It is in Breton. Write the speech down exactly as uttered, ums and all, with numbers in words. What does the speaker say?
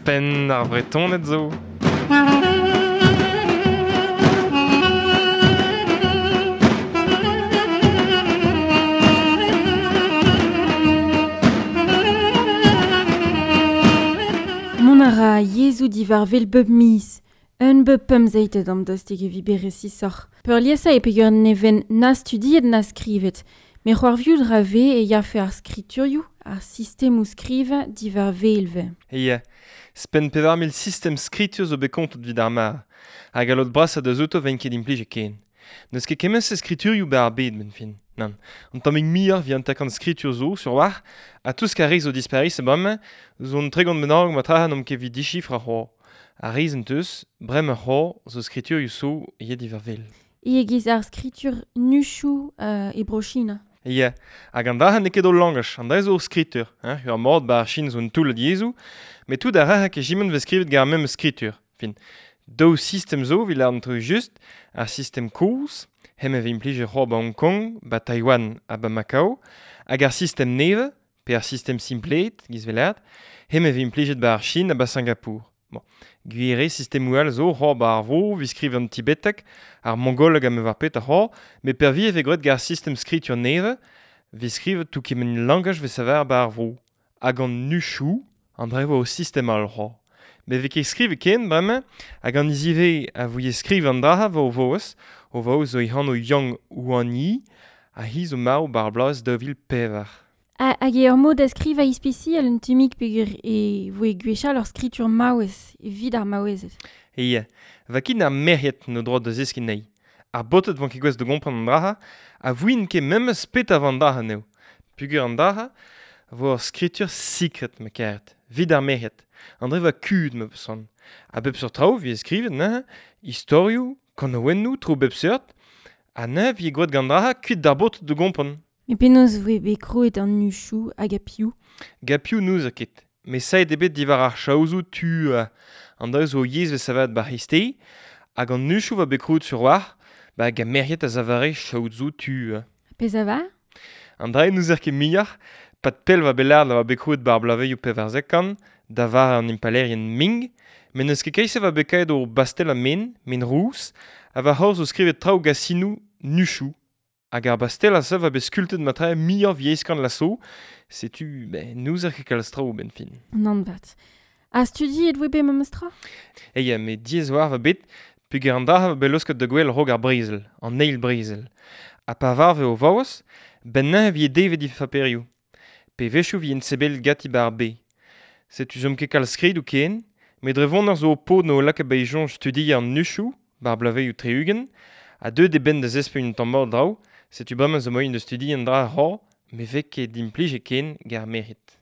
Penn ar Vretoned zo. Mont a ra yezhoù diwar wel bep miz. Un bep pemzeitet am dostig evit bet resisoc'h. Peurliesañ e peger neven na studiet na skrivet. Me c'hoarviout ra ve e yafe ar skriturioù, ar sistemoù skrivañ diwar welve. Ia, spen pevar mil sistem skritur zo bet kontet evit ar mar. Hag a lot brasañ da zouto ven ket implij e ken. N'eus ket kement-se skriturioù ba ar bed ben fin. Nann, an tammig muioc'h vi an takan skritur zo sur war, ha tout ce a zo disparis e bremañ, zo an tregont bennak ma trahan om ket vit dichifr ar c'hoar. Ar riz en teus, bremañ c'hoar zo skriturioù zo yet diwar wel. E giz ar skritur nuchou euh, e bro-China. Ia, hag an dra n'eo ket o langaj, an dra zo ur skritur. Hein, ur mord ba ar Chin zo un toull yezhoù, met tout ar ra ket jimen vez skrivet gant ar mem skritur. Fin, daou sistem zo evit lâret an traoù just, ar sistem kozh, hem e vez implijet c'hoar ba Hong Kong, ba Taïwan ha ba Macao, hag ar sistem nevez, pe ar sistem simplet, giz vez lâret, hem e vez implijet ba ar Chin ha ba Singapour. Bon, gwir eo sistemoù all zo c'hoar ba ar vro, evit skrivañ an tibeteg, ar mongoleg ha me war pet ar c'hoar, met pervi e vez graet gant ar sistem skritur nevez, vez skrivet tout kement langaj vez saver ba ar vro. Hag an nuchou, an dra vo o sistem all c'hoar. Met vez ket skrivet ken bremañ, hag an izive a voie skriv an dra vo o voez, o voez zo e-hano Yang Huanyi, ha hi zo marv bar bloaz daou vil pevar. Ha, hag eo ur mod da skrivañ ispisial un tammig peogwir e voe gwechall ur skritur maouez, evit ar maouezed. Ia, va ket ar merc'hed n'o droad da zeskiñ anezhi. Ar baotred van ket gouest da gompren an dra, ha voint ket memes pet a van dra anezho. Peogwir an dra vo ur skritur sekret ma karet, evit ar merc'hed. An dra va kud ma peus c'hoant. A bep seurt traoù vi skrivet neuze, istorioù, kanaouennoù, traoù bep seurt, ha neuze vi gwaet gant dra kuit d'ar baotred da gompren. Me penaos voe bet krouet an nuchou hag a piv? Ga piv n'eus a ket. Me saet eo bet diwar ar chaozoù tu euh, an dra zo yezh vez savet ba c'hreisteiz, hag an nuchou va bet krouet sur war, ba hag a merc'hed a zavare chaozoù tu. Euh. Pezh a va? An dra n'ouzer ket muioc'h, pat pell va bet lâret va bet krouet bar blaveioù pevarzek kant, da var an impalerien Ming, met n'eus ket keise va bet kaet o bastel a men, men rous, ha va c'horz o skrivet traoù gasinoù nuchou. Hag ar bastel a se va bet skultet ma trae muioc'h vieizh kant la so, setu, ben, n'ouzer ket kalz traoù ben fin. Nann vat. Ha studiet voe bet memes tra? Eia, met diaes war va bet, peogwir an dra va bet laosket da gwell raok ar brezel, an eil brezel. Ha pa varve o vaouez, ben neuze vi devet he faperioù. Pe wechoù vi en sebel gati ba ar be. Setu zom ket kalz skridoù ken, met dre vont ar zo o paotr n'o lakaet ba e soñj studiañ an nuchou, bar blaveioù tri-ugent, ha deuet eo benn da zespeñ un tamm mat draoù, setu bremañ zo moaien da studiañ an dra c'hoar, met vez ket implijet ken gant ar merc'hed.